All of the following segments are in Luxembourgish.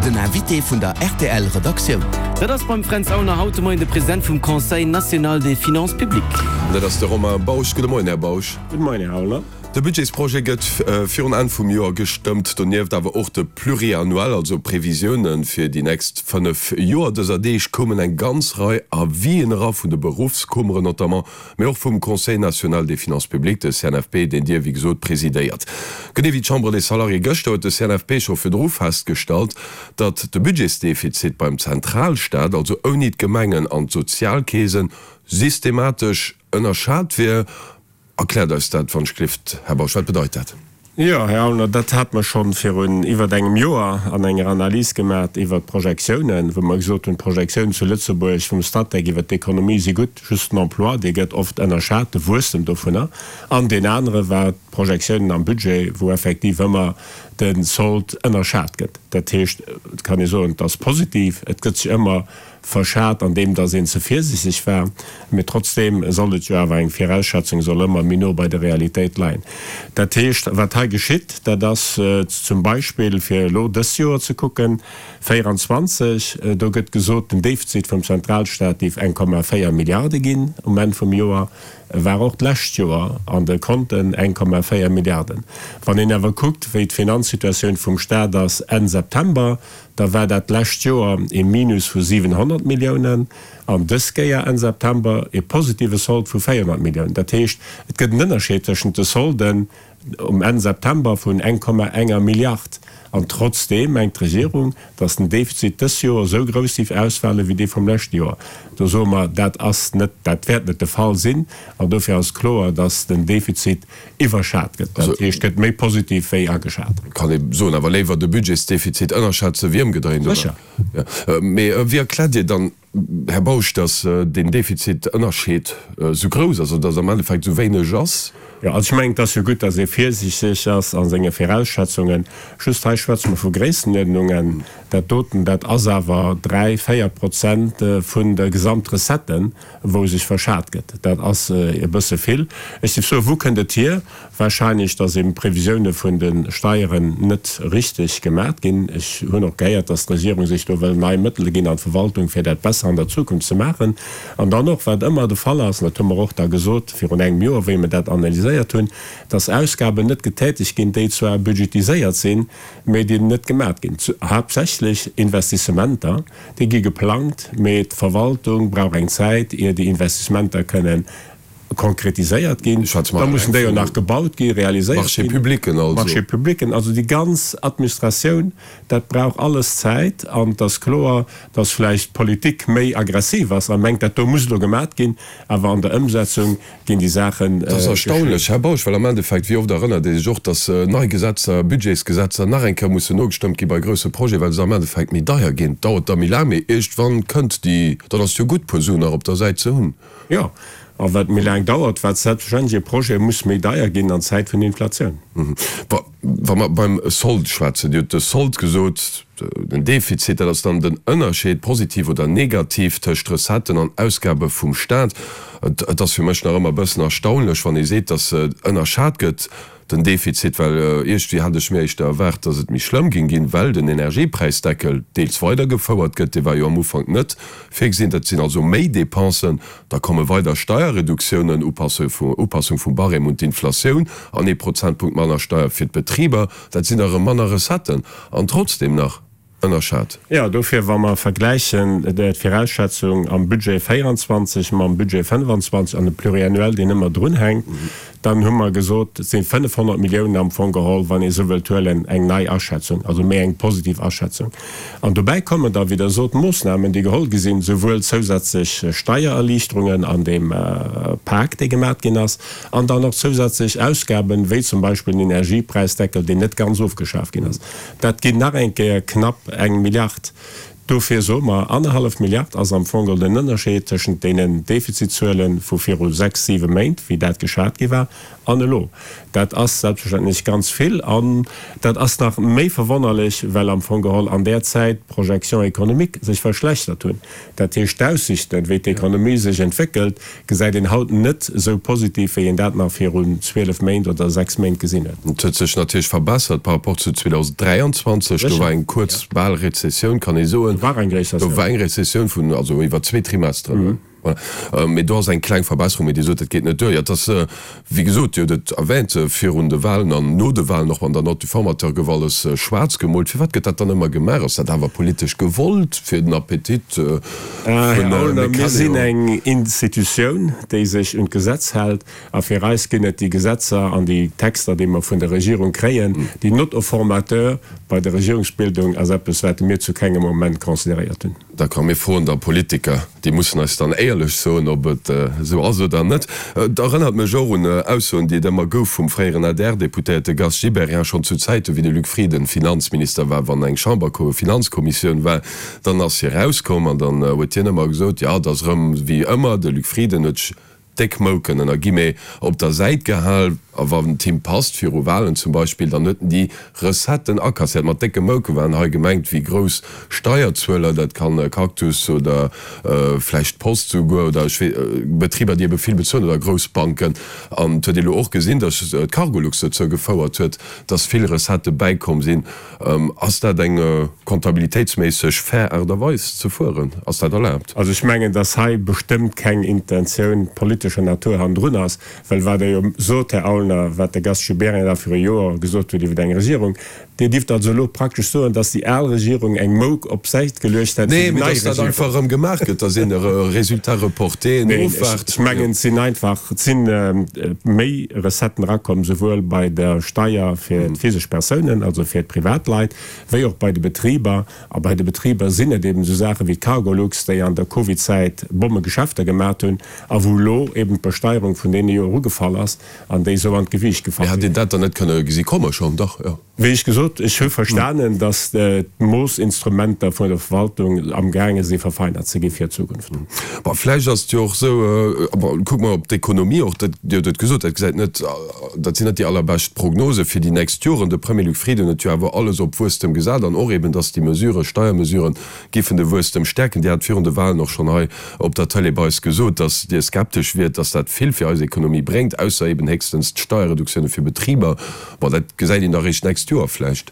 Den Invité vun der rtl Redaktioun. Dat ass beim Fränz Aulner haut de Moien de President vum Conseil national des finances publiques. An dat ass de Romain Bausch. Gudde Moien, Här Bausch. Gudde Moien, Här Aulner. De Budgetsprojet gëtt virun Enn vum Joer gestëmmt, donieft awer och de Pluriannuel, also Previsiounen fir déi nächst 5 Joer. Dëser Deeg koumen eng ganz Rei Avisen era vun de Beruffskummeren notamment, mee och vum Conseil national des finances publiques, de CNFP, deen Dir, wéi gesot, presidéiert. Genee wéi d'Chambre des Salariés gëschter huet de CNFP scho virdru festgestallt, datt de Budgetsdefizit beim Zentralstaat, also ouni d'Gemengen an d'Sozialkeesen, systematesch ënnerschat wier. Erkläert eis dat wann ech gelift, Här Bausch. Wat bedeit dat? Jo, Här Aulner, dat hate mer schonn virun iwwert engem Joer an enger Analys gemat iwwert d'Projektiounen, wou mer gesot hunn, d'Projektiounen zu Lëtzebuerg vum Statec iwwert d'Ekonomie si gutt, just den Emploi, dee gëtt oft ënnerschat, de Wuesstem dovunner. An deen anere war d'Projektiounen am Budget, wou effektiv ëmmer de Sold ënnerschat gëtt. Dat heescht, et kann ee soen, et ass positiv, et gëtt sech ëmmer Verschat an deem dass een ze virsichteg war, mee trotzdeem soll et jo awer eng Virausschätzung soll ëmmer méi no bei der Realitéit leien. Dat heescht, wat hei geschitt, dat ass zum Beispill, fir elo dëst Joer ze kucken, 24, do gëtt gesot, den Defizit vum Zentralstaat géif 1,4 Milliarde ginn um Enn vum Joer, E war och d'lescht Joer an de Konten 1,4 Milliarden. Wann een awer kuckt, wéi d'Finanzsituatioun vum Staat ass Enn September, da war dat d'lescht Joer ee Minus vu 700 Milliounen an dës Kéier Enn September ee positive Sold vu 400 Milliounen. Dat heescht, et gëtt en Ënnerscheed tëschent de Solden um Enn September vun 1,enger Milliard. An trotzdeem mengt d'Regierung, datt den Defizit dës Joer esou grouss géif ausfale wéi dee vum leschte Joer. Do soe mer, dat ass net, dat wäert net de Fall sinn. An dofir ass kloer, datt den Defizit iwwerschat gëtt. Dat heescht, gëtt méi positiv wéi ageschat. Kann ee soen, awer léiwer de Budgetsdefizit ënnerschätze wéi ëmgedréint, oder? Sécher. Mee wéi erkläert Dir dann, Här Bausch, datt deen Defizitënnerscheed esou grouss ass, oder datt am Endeffekt esou wéineg ass? Jo, also ech mengen, et ass jo gutt, datt ee virsiichteg ass a senge Virausschätzungen. Just hei schwätze mer vu Gréissenuerdnungen. Dat doten, dat ass awer 3, 4 Prozent vun de Gesamtrecetten, wou sech verschat gëtt. Dat ass e bësse vill. Ech géif soen, wou kënnt et hier? Wahrscheinlech, dass eben d'Previsioune vun de Steieren net richteg gemat ginn. Ech hunn och gehéiert, dass d'Regierung sech do wëll nei Mëttele ginn an d'Verwaltung, fir dat besser an der Zukunft ze maachen. An dann och, wat ëmmer de Fall ass, an dat hu mer och da gesot virun engem Joer, wéi mer dat analyséiert hunn, dass Ausgaben net getätegt ginn, déi zwar budgetiséiert sinn, mä déi net gemat ginn, haaptsächlech Investissementer, déi gi geplangt, mä d'Verwaltung brauch eng Zäit, ier déi Investissementer kënnen konkretiséiert ginn. Da mussen déi jo nach gebaut ginn, realiséiert ginn. Marchés publics also. Marchés publics, also déi ganz Administratioun, dat brauch alles Zäit. An et ass kloer, dass vläicht d'Politik méi aggressiv ass a mengt, dat do muss elo gemat ginn, awer an der Ëmsetzung ginn déi Saachen Dat ass erstaunlech, Här Bausch, well am Endeffekt, wéi oft erënnert ee sech och, dass nei Gesetzer, Budgetsgesetzer nach eng Kéier mussen nogestëmmt gi bei grousse Projeten, well se am Endeffekt méi deier ginn. Dauert da méi laang, mee iergendwann kënnt déi, dann ass et jo gutt, puer Suen nach op der Säit ze hunn. Jo, a wat méi laang dauert, wat selbstverständlech e Projet muss méi deier ginn an Zäit vun Inflatioun. Wa mer beim Sold schwätzen, Dir hutt de Sold gesot, den Defizit, dat ass dann den Ënnerscheed, positiv oder negativ, tëscht Recetten an Ausgabe vum Staat. Et ass fir mech nach ëmmer e bëssen erstaunlech, wann ee seet, datt ënnerschat gëtt, den Defizit, well iergendwéi hat ech mir éischter erwaart, datt et méi schlëmm géing ginn, well den Energiepräisdeckel deels weidergefouert gëtt, dee war jo am Ufank net virgesinn, dat sinn also méi Dépensen, da komme weider Steierreduktiounen, Upassung vum Barème un d'Inflatioun an ee Prozentpunkt manner Steier fir d'Betriber, dat sinn da erëm manner Recetten an trotzdem nach ënnerschat. Jo, dofir, wa mer vergläichen d'Virausschätzung am Budget 24 mam Budget 25 an de Pluriannuel, deen ëmmer drunhänkt, dann hu mer gesot, et si 500 Milliounen am Fong geholl, wann ee esou wëllt huelen, eng nei Aschätzung, also méi eng positiv Aschätzung. An dobäi kommen da, wéi Der sot, Moossnamen, déi geholl gi sinn, souwuel zousätzlech Steiererliichterungen an deem Pak, dee gemat ginn ass, an dann och zousätzlech Ausgaben, wéi zum Beispill den Energiepräisdeckel, deen net ganz ofgeschaf ginn ass. Dat ginn nach eng Kéier knapp eng Milliard. Dofir soe mer, annerhallef Milliard ass am Fong geholl den Ënnerscheed tëschent deenen Defizitzuele vu viru sechs, siwe Méint, wéi dat geschat gi war, an elo. Dat ass selbstverständlech ganz vill an dat ass nach méi verwonnerlech, well am Fong geholl an där Zäit d'Projections économiques sech verschlechtert hunn. Dat heescht, d'Aussichten, wéi d'Ekonomie sech entwéckelt, gesäit een haut net esou positiv, wéi een dat nach virun 12 Méint oder 6 Méint gesinn huet. Et huet sech natierlech verbessert par rapport zu 2023. Do war eng kuerz, bal Rezessioun, kann ee soen. Do war eng Rezessioun. Do war eng Rezessioun vun, also iwwer zwee Trimesteren. Voilà. Mee do ass eng kleng Verbesserung. Mee Dir sot, dat geet net duer. Jo, et ass, wéi gesot, Dir hutt et erwähnt, virun de Wahlen an no de Wahlen, och an der Note du formateur gouf alles schwaarz gemoolt. Firwat gëtt dat dann ëmmer gemaach? Ass dat awer politesch gewollt, fir den Appetit Här Aulner, mir sinn eng Institutioun, déi sech un d'Gesetz hält. A fir eis ginn et déi Gesetzer an déi Texter, déi mer vun der Regierung kréien. Déi Note au formateur bei der Regierungsbildung ass eppes, wat mir zu kengem Moment consideréiert hunn. D'accord, mir froen da Politiker, déi mussen eis dann éierlech soen, ob et esou ass oder net. Et erënnert mech och un Aussoen, déi et ëmmer gouf vum fréieren ADR-Deputéierte Gast Gibéryen, schonn zu Zäiten, wéi de Luc Frieden Finanzminister war, wann eng Chamberfinanzkommissioun war, Dann ass hie rauskomm an dann huet hien ëmmer gesot, jo, et ass erëm wéi ëmmer, de Luc Frieden huet sech déck Mouken, ënner Guillemets, op der Säit gehal a wann et him passt, viru Wahlen zum Beispill, dann huet en déi Recetten akasséiert. Mat décke Mouke waren hei gemengt wéi grouss Steierzueler, dat kann Cactus oder vläicht d'Post souguer oder ech wee, Betriber, déi ebe vill bezuelen oder grouss Banken. An et huet ee lo och gesinn, datt d'Cargolux dozou gefouert huet, datt vill Recettë bäikomm sinn. Ass dat eng comptabilitéitsméisseg fair Aart a Weis ze fueren? Ass dat erlaabt? Also ech mengen, dass hei bestëmmt keng Intentioun politescher Natur hannendrun ass, well wat Der jo sot, Här Aulner, wat de Gast Gibéryen da viru Joer gesot huet iwwer eng Regierung, Dir dierft also elo praktesch soen, dass déi al Regierung eng Mouk op d'Säit geluecht hätt fir déi nei Regierung. Nee, mee dass dat einfach erëm gemaach gëtt, dass een e Résultat reporté nofwaart. Ech mengen, et sinn einfach, et si méi Recetten erakomm, souwuel bei der Steier fir d'physesch Persounen, also fir d'Privatleit, wéi och bei de Betriber. A bei de Betriber sinn et eben esou Saache wéi d'Cargolux, déi an der Covidzäit Bommegeschäfter gemat hunn a wou elo eben d'Besteierung vun deene Joer ugefall ass an déi esou an d'Gewiicht gefall sinn. Mee hätt een dat dann net kënne gesi komme schonn? Dach, jo. Wéi ech gesot, ech hu verstanen, datt d'Moossinstrumenter vun der Verwaltung amgaange si verfeinert ze gi fir d'Zukunft. Bon, vläicht ass et jo och esou, bon, kucke mer op d'Ekonomie och, dat, Dir hutt et gesot, dat gesäit net, dat sinn net déi allerbescht Prognose fir déi nächst Joren. De Premier Luc Frieden huet jo awer alles op Wuesstem gesat an och eben, datt déi Mesuren, Steiermesuren, giffen de Wuesstem stäerken. Dir hat virun de Wahlen och schonn hei op der Tëlee bei eis gesot, datt Dir skeptesch wiert, datt dat vill fir eis Ekonomie bréngt, ausser eben héchstens d'Steierreduktioune fir Betriber. Bon, dat gesäit een da réischt d'nächst Joer vläicht.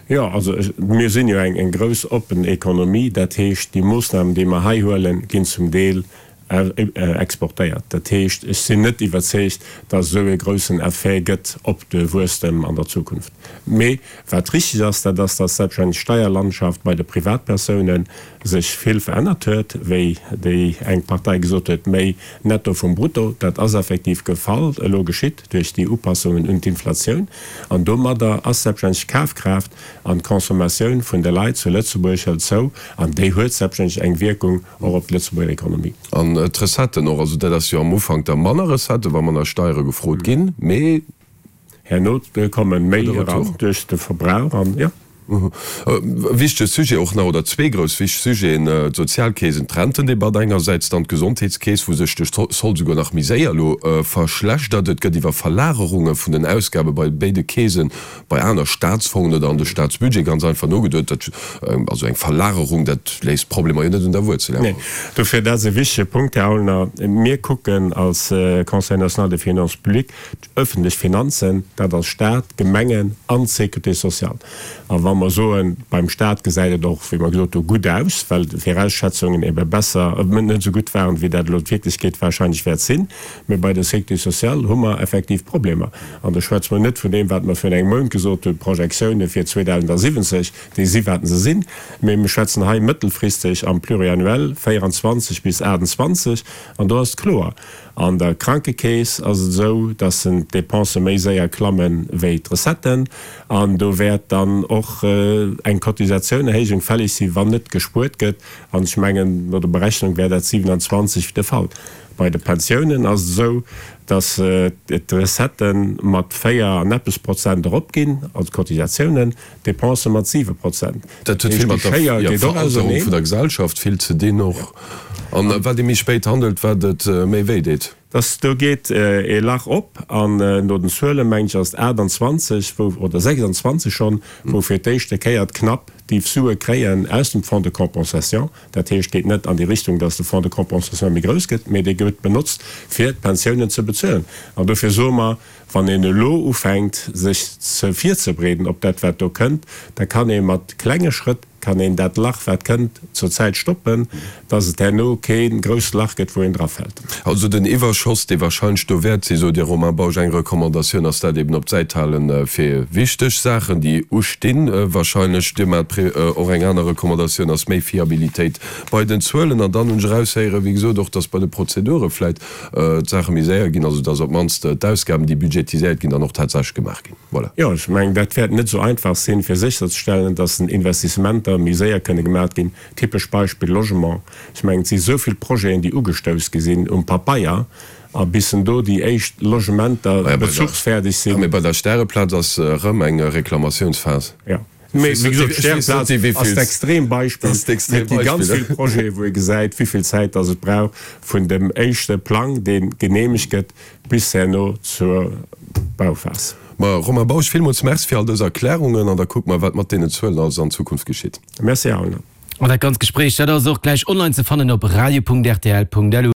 Jo, also mir sinn jo eng grouss oppen Ekonomie. Dat heescht, déi Moossnamen, déi mer hei huelen, ginn zum Deel exportéiert. Dat heescht, ech sinn net iwwerzeegt, datt esou e groussen Effet gëtt op de Wuesstem an der Zukunft. Mee wat richteg ass, dat ass, datt selbstverständlech d'Steierlandschaft bei de Privatpersounen sech vill verännert huet, wéi déi eng Partei gesot huet, méi Netto vum Brutto. Dat ass effektiv gefall, elo geschitt. duerch déi Upassungen un d'Inflatioun, an domadder ass selbstverständlech d'Kafkraaft an d'Consommatioun vun de Leit zu Lëtzebuerg hëlt zou, an déi huet selbstverständlech eng Wierkung och op d'Lëtzebuerger Ekonomie. An d'Recetten och, also dat ass jo am Ufank da manner Recetten, wa manner Steiere gefrot ginn, mee. Herno kommen méi eran duerch de Verbrauch an, jo. E wichtege Sujet och nach, oder zwee grouss wichteg Sujeten, d'Sozialkeesen, d'Rentendebatt engersäits, dann d'Gesondheetskeess, wou sech de Solde souguer nach méi séier elo verschlechtert. Et gëtt iwwer Verlagerunge vun den Ausgabe bei béide Keesen, bei aner Staatsfongen oder an de Staatsbudget ganz einfach nogeduet. Dat, also eng Verlagerung, dat léist d'Problemer jo net un der Wuerzel. Neen, dofir, dat ass e wichtege Punkt, Här Aulner. Mir kucken als Conseil national des finances publiques D'öffentlech Finanzen, dat ass Staat, Gemengen an d'Sécurité sociale. A wa mer soen, beim Staat gesäit et och, wéi mer gesot hu, gutt aus, well d'Virausschätzungen ebe besser, net esou gutt waren, wéi dat elo d'Wierklechkeet wahrscheinlech wäert sinn, mä bei der Sécurité sociale hu mer effektiv Problemer. An do schwätze mer net vun deem, wat mer virun engem Mount gesot hunn, d'Projektiounen fir 2070, déi si wat se sinn, mä mir schwätzen hei mëttelfristeg am Pluriannuel 24 bis 28, an do ass et kloer, An der Krankekeess ass et esou, dass d'Dépensë méi séier klamme wéi d'Recetten. An do wäert dann och. och eng Cotisatiounerhéijung fälleg sinn, wann net gespuert gëtt. An ech mengen, no der Berechnung wär dat 27 de Fall. Bei de Pensiounen ass et esou, datt d'Recettë mat 4 an eppes Prozent eropginn, also d'Cotisatiounen, d'Depensë mat 7 Prozent. Dat huet vill mat der Veralterung vun der Gesellschaft vill ze dinn och. An wat ee méi spéit handelt, wat et méi wéi deet. Dass do geet ee Lach op an no den Zuelen, mengen ech, ass et 28 wou, oder 26 schonn, wou fir d'éischte Kéier d'Knapp déi Sue kréien aus dem Fonds de compensation. Dat heescht, geet net an déi Richtung, dass de Fonds de compensation méi grouss gëtt, mee dee gëtt benotzt fir d'Pensiounen ze bezuelen. An dofir soe mer, Wann een elo ufänkt sech ze virzebereeden op dat wat do kënnt, da kann ee mat klenge Schrëtt kann een dat Lach wat kënnt zur Zäit stoppen, dass et herno kee grousst Lach gëtt wou een drafält. Also den Iwwerschoss dee wahrscheinlech do wäert sinn, sot Dir Romain Bausch, eng Recommandatioun ass dat eben op d'Säit halen fir wichteg Saachen déi ustinn wahrscheinlech. Dir maacht och eng aner Recommandatioun ass méi Fiabilitéit bei den Zuelen an dann hunn ech eraushéieren, wéi gesot och, dass bei de Prozedure vläit d'Saache méi séier ginn, also dass op d'mannst d'Ausgaben, déi budgetiséiert ginn, dann och tatsächlech gemaach ginn. Voilà. Jo, ech mengen, dat wäert net esou einfach sinn, fir sécherzestellen, dass den Investissementer méi séier kënne gemaach ginn. Typesch Beispill Logement. Ech mengen, et si esou vill Projeten, déi ugestouss gi sinn um Papeier, a bis en do déi éischt Logementer bezuchsfäerdeg sinn. Mee bei der Stäreplaz ass erëm eng Reklamatiounsphas. Jo. Mee wéi gesot, d'Stäreplaz ass d'Extrembeispill. Et gi ganz vill Projeten, wou ee gesäit, wéi vill Zäit dass et brauch vun dem éischte Plang, dee geneemegt gëtt, bis herno zur Bauphas. Ma Romain Bausch, villmools Merci fir all dës Erklärungen an da kucke mer, wat mat deenen Zuelen alles an Zukunft geschitt. Merci, Här Aulner. An dat ganzt Gespréich, dat ass och gläich online ze fannen op radio.rtl.lu.